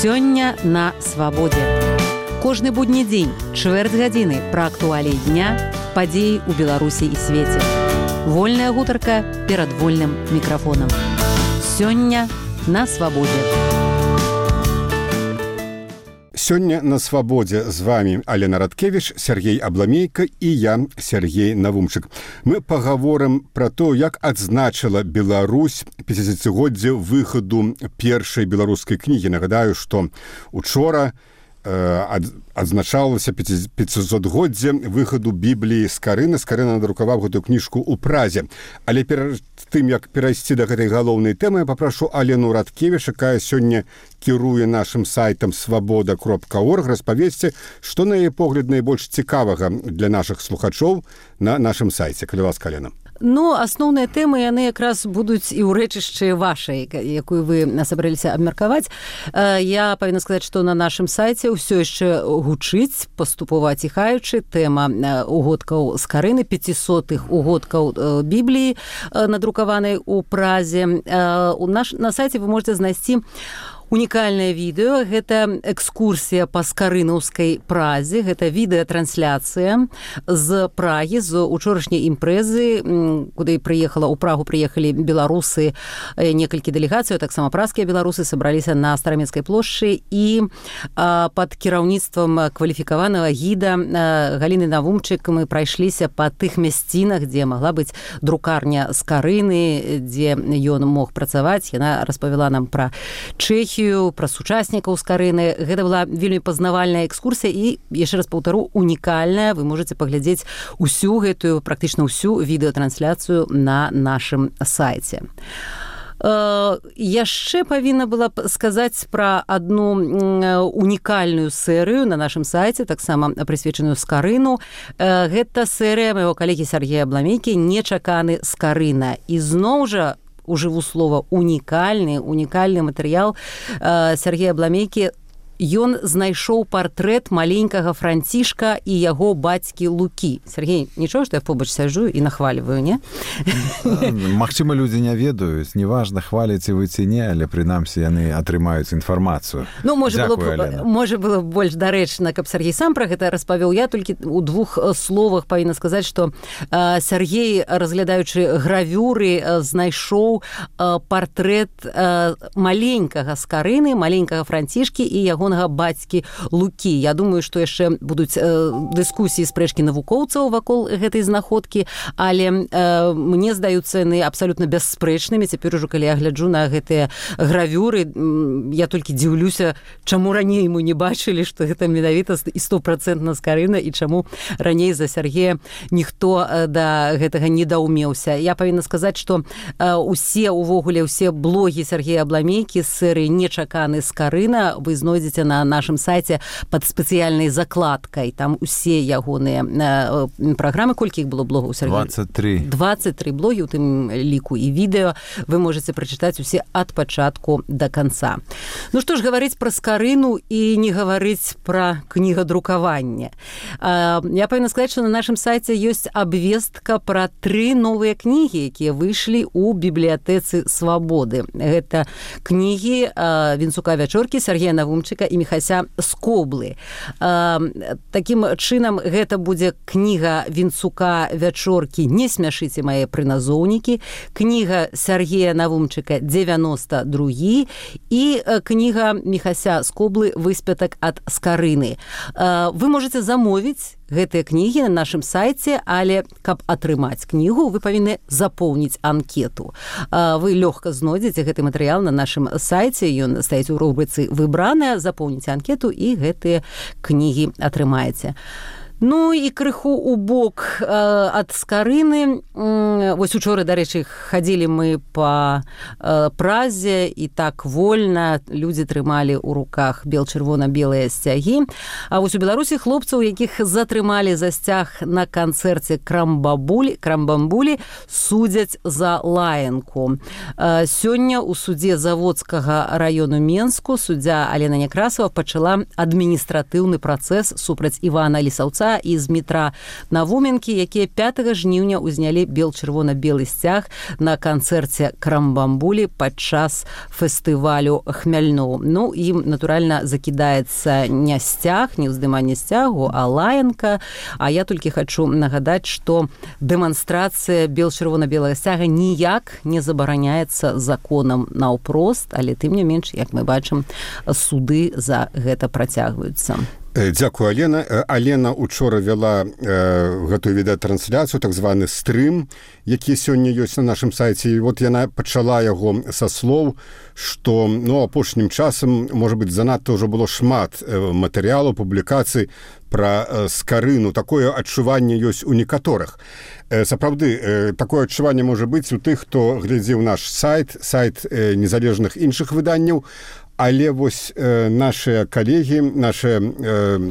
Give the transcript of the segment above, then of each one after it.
Сёння на свабодзе. Кожны будні дзень, чвэрць гадзіны пра актуаліі дня, падзеі ў Беларусі і свеце. Вольная гутарка перад вольным мікрафонам. Сёння на свабодзе. Сёння на свабодзе з вами Алена Радкевіч, Сергей Абламейка і я, Сергей Навумчык. Мы пагаворым пра то, як адзначыла Беларусь 50-годдзе выхаду першай беларускай кнігі. Нагадаю, што учора адзначалася 500-годдзе выхаду Бібліі Скарына. Скарына надрукаваў гэтую кніжку ў Празе. Але перад тым, як перайсці да гэтай галоўнай тэмы, я папрашу Алену Радкевіч, якая сёння кіруе нашым сайтам свабода.орг, распавесці, што на яе погляд найбольш цікавага для нашых слухачоў на нашым сайце. Калі ласка, Алена. Ну, асноўныя тэмы, яны якраз будуць і ў рэчышчы вашай, якую вы сабраліся абмеркаваць. Я павінна сказаць, што на нашым сайце ўсё яшчэ гучыць, паступова ціхаючы, тэма угодкаў Скарыны, 500-х угодкаў Бібліі, надрукаванай у Празе. На сайце вы можете знайсці унікальнае відэо, гэта экскурсія па скарынаўскай Празе, гэта відэатрансляцыя з Прагі, з учорашняй імпрэзы, куды ў Прагу прыехалі беларусы, некалькі дэлегацый, таксама празскія беларусы сабраліся на Старамецкай плошчы і пад кіраўніцтвам кваліфікаванага гіда Галіны Навумчык мы прайшліся па тых мясцінах, дзе магла быць друкарня Скарыны, дзе ён мог працаваць. Яна распавяла нам пра Чэхію, пра сучаснікаў Скарыны. Гэта была вельмі пазнавальная экскурсія і, яшчэ раз паўтару, унікальная. Вы можете паглядзець усю гэтую, практычна ўсю відэатрансляцыю на нашым сайце. Яшчэ павінна была сказаць пра адну унікальную серыю на нашым сайце, таксама прысвечаную Скарыну. Гэта серыя майго калегі Сергея Абламейкі «Нечаканы Скарына». І зноў жа, ужыву слова, унікальны матэрыял Сергея Абламейкі. Ён знайшоў партрэт маленькага Францішка і яго бацькі Лукі. Сергей, нічого, што я побач сяджу і нахваліваю, не? Магчыма, людзі не ведаюць, неважна, хваліце вы ці не, але прынамсі яны атрымаюць інфармацыю. Ну, можа было больш дарэчна, каб Сергей сам пра гэта распавёў. Я толькі ў двух словах павінна сказаць, што Сергей, разглядаючы гравюры, знайшоў партрэт маленькага Скарыны, маленькага Францішкі і яго бацькі Лукі. Я думаю, што яшчэ будуць дыскусіі, спрэчкі навукоўцаў вакол гэтай знаходкі, але мне здаюцца яны абсалютна бясспрэчнымі. Цяпер ужо, калі я гляджу на гэтыя гравюры, я толькі дзіўлюся, чаму раней мы не бачылі, што гэта менавіта і 100% Скарына, і чаму раней за Сергея ніхто да гэтага не даўмеўся. Я павінна сказаць, што усе блогі Сергея Абламейкі з серыі «Нечаканы Скарына» вы знойдзеце на нашым сайце пад спецыяльнай закладкай. Там усе ягоныя праграмы. Колькі іх было блогаў, Сергей? 23 блогі, у тым ліку і відэо. Вы можете прачытаць усе ад пачатку да канца. Ну што ж, гаварыць пра Скарыну і не гаварыць пра кнігадрукаванне. Я павінна сказаць, што на нашым сайце ёсць абвестка пра 3 новыя кнігі, якія выйшлі ў бібліятэцы Свабоды. Гэта кнігі Вінцука Вячоркі, Сергея Навумчыка і Міхася Скоблы. Такім чынам, гэта будзе кніга Вінцука Вячоркі «Не смяшыце мае прыназоўнікі», кніга Сергея Навумчыка «92» і кніга Міхася Скоблы «Выспятак ад Скарыны». Вы можете замовіць гэтыя кнігі на нашым сайце, але каб атрымаць кнігу, вы павінны запоўніць анкету. Вы лёгка знойдзеце гэты матэрыял на нашым сайце, ён стаіць у рубрыцы «Выбраная», запоўніце анкету і гэтыя кнігі атрымаеце. Ну і крыху ў бок ад Скарыны. Вось учора, дарэчы, хадзілі мы па Празе, і так вольна людзі трымалі ў руках бел-чырвона-белыя сцягі. А вось у Беларусі хлопцаў, якіх затрымалі за сцяг на канцэрце Крамбамбулі, судзяць за лаянку. Сёння ў судзе Заводскага раёну Менску суддзя Алена Некрасова пачала адміністратыўны працэс супраць Івана Лісаўца метра і з метра Навуменкі, якія 5 жніўня ўзнялі бел-чырвона-белы сцяг на канцэрце Крамбамбулі падчас фестывалю Хмяльноў. Ну, ім, натуральна, закідаецца не сцяг, не ўздыманне сцягу, а лаянка. А я толькі хачу нагадаць, што дэманстрацыя бел-чырвона-белага сцяга ніяк не забараняецца законам наўпрост, але тым не менш, як мы бачым, суды за гэта працягваюцца. Дзякую, Алена. Алена учора вяла гэтую відэатрансляцыю, так званы стрым, які сёння ёсць на нашым сайце. І вот яна пачала яго са слоў, што апошнім часам, можа быць, занадта ўжо было шмат матэрыялаў, публікацый пра скарыну. Такое адчуванне ёсць у некаторых. Сапраўды, такое адчуванне можа быць у тых, хто глядзеў наш сайт незалежных іншых выданняў. Але вось нашыя калегі, нашыя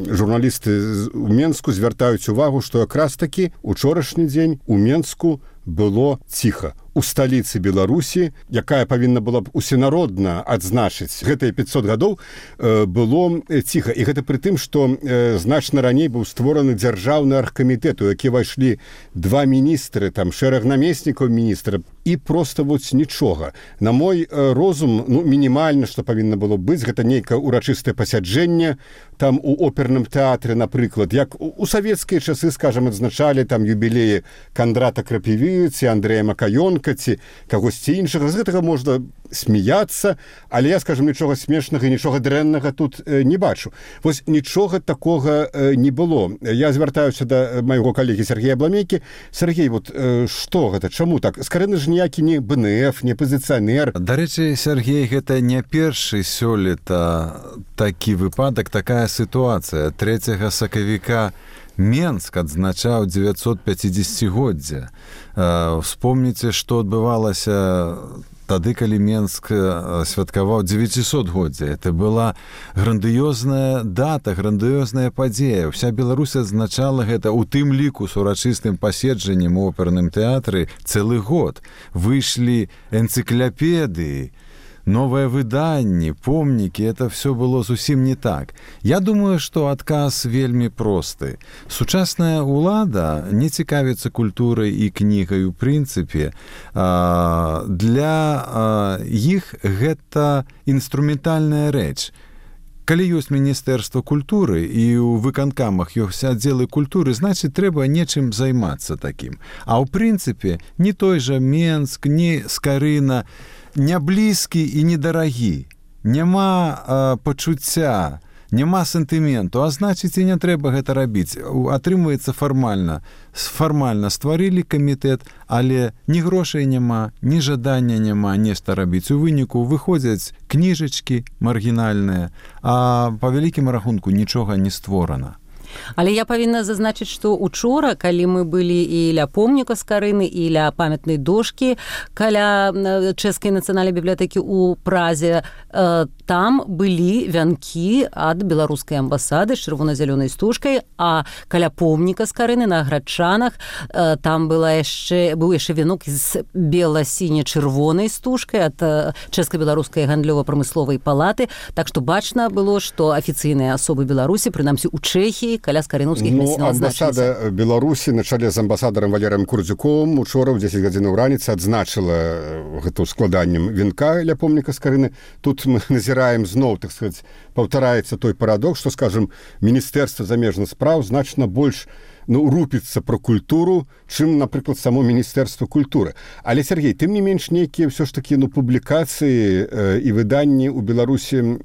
журналісты ў Менску звяртаюць увагу, што якраз такі учорашні дзень у Менску было ціха. У сталіцы Беларусі, якая павінна была б усенародна адзначыць гэтыя 500 гадоў, было ціха. І гэта пры тым, што значна раней быў створаны дзяржаўны аргкамітэт, у які ўвайшлі 2 міністры, там шэраг намеснікаў міністра, і проста вось нічога. На мой розум, мінімальна, што павінна было быць, гэта нейкае урачыстае пасяджэнне, там у оперным тэатры, напрыклад, як у савецкія часы, скажам, адзначалі там юбілеі Кандрата Крапіві ці Андрэя Макаёнка, ці кагосьці іншага. З гэтага можна смяяцца, але я, скажам, нічога смешнага і нічога дрэннага тут не бачу. Вось нічога такога не было. Я звяртаюся да майго калегі Сергея Абламейкі. Сергей, вот што гэта? Чаму так? Скарыны ж ніякі не БНФ, не пазіцыянер. Дарэчы, Сергей, гэта не першы сёлета такі выпадак, такая сітуацыя. 3 сакавіка Менск адзначаў 950-годдзя. Вспомніце, што адбывалася тады, калі Менск святкаваў 900-годдзя. Это была грандыёзная дата, грандыёзная падзея. Уся Беларусь адзначала гэта, у тым ліку з урачыстым паседжаннем у оперным тэатры цэлы год. Выйшлі энцыкляпедыі, новыя выданні, помнікі, это все было зусім не так. Я думаю, што адказ вельмі просты. Сучасная ўлада не цікавіцца культурай і кнігай у прынцыпе. Для іх гэта інструментальная рэч. Калі ёсць Міністэрства культуры і ў выканкамах ёсць аддзелы культуры, значыць, трэба нечым займацца такім. А ў прынцыпе, не той жа Менск, не Скарына, не блізкі і недарагі. Няма пачуцця, няма сентыменту, а значыць, і не трэба гэта рабіць. Атрымваецца фармальна. Фармальна стварылі камітэт, але ні грошай няма, ні жадання няма нешта рабіць. У выніку выходзяць кніжачкі маргінальныя, а па вялікім рахунку нічога не створана. Але я павінна зазначыць, што учора, калі мы былі і ля помніка Скарыны, і ля памятнай дошкі каля Чэшскай нацыянальнай бібліятэкі ў Празе, там былі вянкі ад беларускай амбасады з чырвона-зялёнай стужкай, а каля помніка Скарыны на Градчанах там быў яшчэ вянок з бела-сіне-чырвонай стужкай ад Чэшска-беларускай гандлёва-прамысловай палаты. Так што бачна было, што афіцыйныя асобы Беларусі, прынамсі ў Чэхіі, каля скарынаўскіх мясцін адзначыліся. Амбасада Беларусі на чале з амбасадарам Валерыем Курдзюковым учора ў 10 гадзінаў раніцы адзначыла гэта складаннем венка ля помніка Скарыны. Тут мы назіраем зноў, так сказаць, паўтараецца той парадокс, што, скажам, Міністэрства замежных спраў значна больш рупіцца пра культуру, чым, напрыклад, само Міністэрства культуры. Але, Сергей, тым не менш, нейкія ўсё ж такі публікацыі і выданні ў Беларусі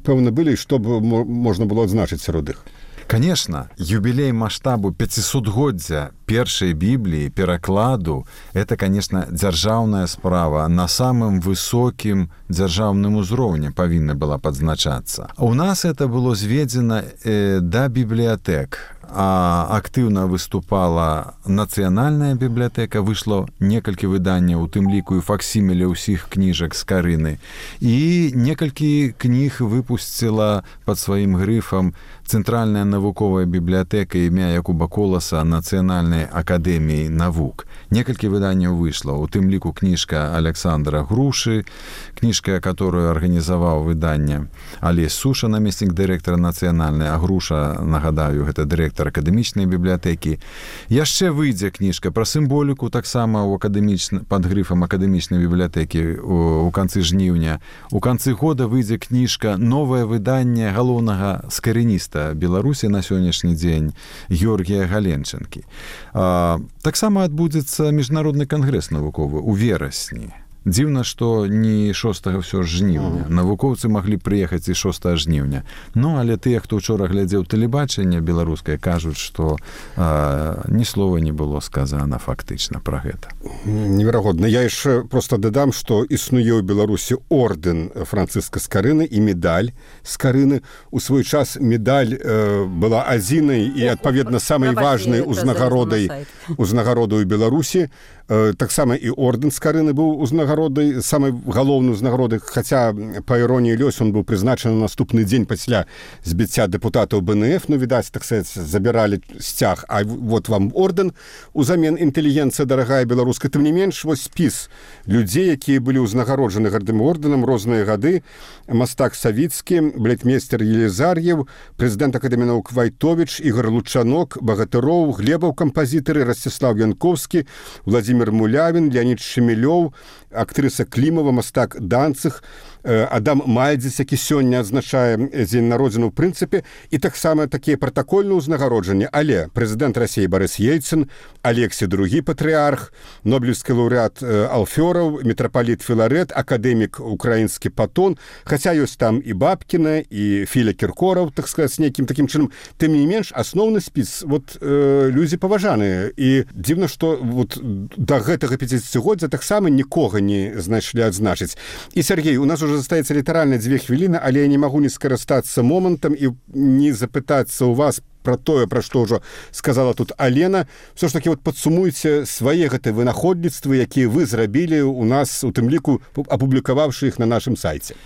пэўна былі, што б можна было адзначыць сярод іх? Конечно, юбилей масштабу 500-годдзя першай Бібліі, перакладу, это, конечно, дзяржаўная справа на самым высокім дзяржаўным узроўні павінна была падзначацца. У нас это было зведзена да бібліятэк. Актыўна выступала нацыянальная бібліятэка, выйшло некалькі выданняў, у тым ліку і факсіміле ўсіх кніжак Скарыны. І некалькі кніг выпусціла пад сваім грыфам Цэнтральная навуковая бібліятэка імя Якуба Коласа Нацыянальнай акадэміі навук. Некалькі выданняў выйшла, у тым ліку кніжка Александра Грушы, кніжка, которую арганізаваў выданне Алесь Суша, намеснік дырэктара нацыянальнай, а Груша, нагадаю, гэта дырэктар акадэмічнай бібліятэкі. Яшчэ выйдзе кніжка пра сімволіку, таксама пад грыфам акадэмічнай бібліятэкі у канцы жніўня. У канцы года выйдзе кніжка, новае выданне галоўнага скарыніста Беларусі на сённяшні дзень Георгія Галенчанкі. Таксама адбудзецца міжнародны кангрэс навуковы ў верасні. Дзіўна, што не 6 ўсё жніўня. Навукоўцы маглі прыехаць і 6 жніўня. Ну, але тыя, хто ўчора глядзеў тэлебачанне беларускае, кажуць, што ні слова не было сказана фактычна пра гэта. Неверагодна. Я яшчэ проста дадам, што існуе ў Беларусі ордэн Францыска Скарыны і медаль Скарыны. У свой час медаль была адзінай і, адпаведна, самай важнай узнагародаю ў Беларусі. Таксама і ордэн Скарыны быў узнагародай, самай галоўнай узнагародай, хаця, па іроніі лёсу, он быў прызначаны на наступны дзень пасля збіцця дэпутатаў БНФ, ну, відаць, так сказаць, забіралі сцяг, а вот вам ордэн, узамен інтэлігенцыя дарагая беларуская. Тым не менш, вось спіс людзей, якія былі ўзнагароджаны гэтым ордэнам розныя гады: мастак Савіцкі, балетмейстер Елізар'еў, прэзідэнт акадэміі навук Вайтовіч, Ігор Лучанок, Багатыроў, Глебаў кампазітары, Расціслаў Янковскі, Владзімір Мулявін, Леонід Шемелёў, актрыса Клімова, мастак Данцых, Адам Мальдзіс, які сёння адзначае дзень народзіны ў прынцыпе, і таксама такія пратакольныя ўзнагароджанні. Але прэзідэнт Расіі Барыс Ельцын, Алексій II патрыарх, нобелеўскі лаўрэат Алфёраў, мітрапаліт Філарэт, акадэмік украінскі Патон, хаця ёсць там і Бабкіна, і Філя Кіркораў, так сказаць, нейкім такім чынам. Тым не менш, асноўны спіс, вот, людзі паважаныя. І дзіўна, што вот да гэтага 50-годдзя таксама нікога не знайшлі адзначыць. І, Сергей, у нас уже застаецца літаральна 2 хвіліны, але я не магу не скарыстацца момантам і не запытацца ў вас пра тое, пра што ўжо сказала тут Алена. Все ж такі вот падсумуйце свае гэтыя вынаходніцтвы, якія вы зрабілі у нас, у тым ліку апублікаваўшы іх на нашым сайце.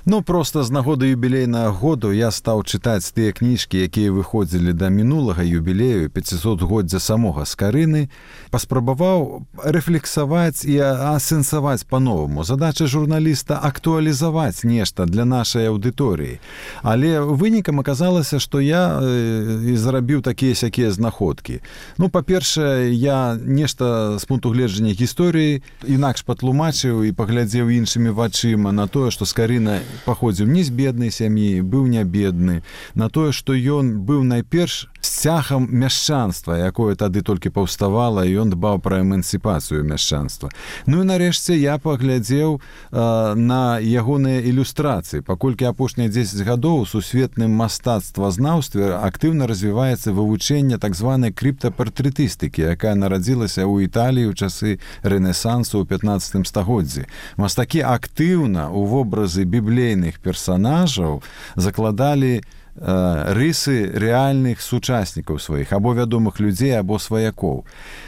Ну, проста з нагоды юбілейнага году я стаў чытаць тыя кніжкі, якія выходзілі да мінулага юбілею 500-годдзя самога Скарыны, паспрабаваў рэфлексаваць і асэнсаваць па-новаму. Задача журналіста актуалізаваць нешта для нашай аўдыторыі. Але вынікам аказалася, што я і зарабіў такія-сякія знаходкі. Ну, па-першае, я нешта з пункту гледжання гісторыі інакш патлумачыў і паглядзеў іншымі вачыма на тое, што Скарына паходзіў не з беднай сям'і, быў не бедны, на тое, што ён быў найперш сцягам мяшчанства, якое тады толькі паўставала, і ён дбаў пра эмансіпацыю мяшчанства. Ну і нарэшце я паглядзеў на ягоныя ілюстрацыі. Паколькі апошнія 10 гадоў у сусветным мастацтвазнаўстве актыўна развіваецца вывучэнне так званай крыптапартрэтыстыкі, якая нарадзілася ў Італіі ў часы Рэнесансу ў 15 стагоддзі. Мастакі актыўна ў вобразы біблейных персанажаў закладалі рысы рэальных сучаснікаў сваіх, або вядомых людзей, або сваякоў.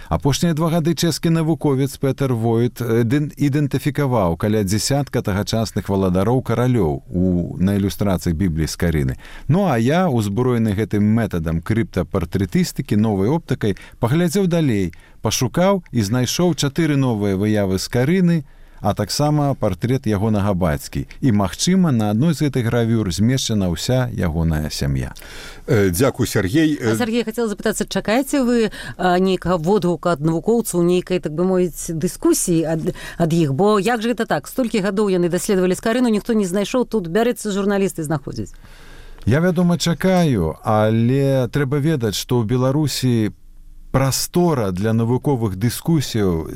Апошнія 2 гады чэшскі навуковец Петер Войт ідэнтыфікаваў каля дзясятка тагачасных валадароў каралёў на ілюстрацыях Бібліі Скарыны. Ну, а я, узброены гэтым метадам крыптапартрэтыстыкі, новай оптыкай, паглядзеў далей, пашукаў і знайшоў 4 новыя выявы Скарыны, а таксама партрэт ягонага бацькі. І, магчыма, на адной з гэтых гравюр змешчана ўся ягоная сям'я. Дзякуй, Сергей. Сергей, хацела запытацца, чакаеце вы нейкага водгука ад навукоўцаў, нейкай, так бы мовіць, дыскусіі ад іх? Бо як жа гэта так? Столькі гадоў яны даследавалі Скарыну, ніхто не знайшоў, тут бярэцца журналісты знаходзіць. Я, вядома, чакаю, але трэба ведаць, што ў Беларусі прастора для навуковых дыскусіяў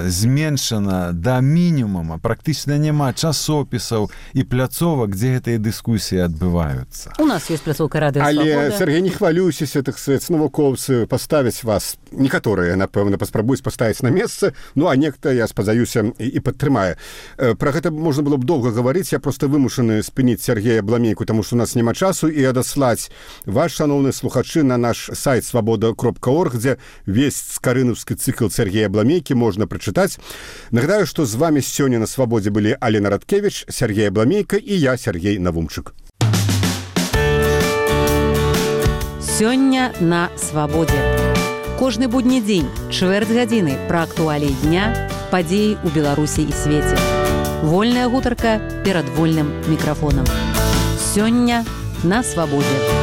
зменшана да мінімума. Практычна няма часопісаў і пляцовак, дзе гэтыя дыскусіі адбываюцца. У нас ёсць пляцоўка Радыё Свабода. Але, Сергей, не хвалюйся, так сказаць, навукоўцы паставяць вас, некаторыя, напэўна, паспрабуюць паставіць на месца, ну, а нехта, я спадзяюся, і падтрымае. Пра гэта можна было б доўга гаварыць, я проста вымушаны спыніць Сергея Бламейку, таму што у нас няма часу, і адаслаць ваш, шаноўныя слухачы, на наш сайт свабода.орг, дзе весь скарынаўскі цыкл Сергея Бламейкі можна прачытаць. Нагадаю, што з вами сёння на Свабодзе былі Алена Радкевіч, Сергей Бламейка і я, Сергей Навумчык. Сёння на свабодзе. Кожны будні дзень, чвэрць гадзіны пра актуаліі дня, падзеі ў Беларусі і свеце. Вольная гутарка перад вольным мікрафонам. Сёння на свабодзе.